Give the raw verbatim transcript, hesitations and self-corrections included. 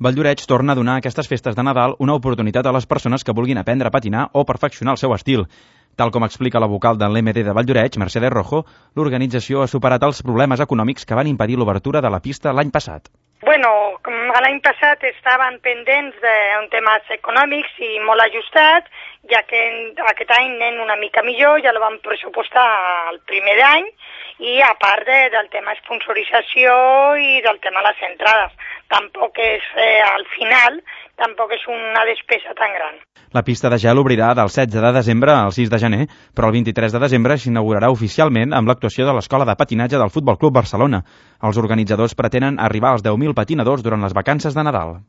Valldoreix torna a donar a aquestes festes de Nadal una oportunitat a les persones que vulguin aprendre a patinar o perfeccionar el seu estil. Tal com explica la vocal de l'M D de Valldoreix, Mercedes Rojo, l'organització ha superat els problemes econòmics que van impedir l'obertura de la pista l'any passat. Bueno, l'any passat estaven pendents d'un temes econòmics i molt ajustats, ja que aquest any anem una mica millor, ja la vam pressupostar el primer any, i a part de, del tema sponsorització i del tema de les entrades. Tampoc és, eh, al final, tampoc és una despesa tan gran. La pista de gel obrirà del setze de desembre al sis de gener, però el vint-i-tres de desembre s'inaugurarà oficialment amb l'actuació de l'Escola de Patinatge del Futbol Club Barcelona. Els organitzadors pretenen arribar als deu mil patinadors durant les vacances de Nadal.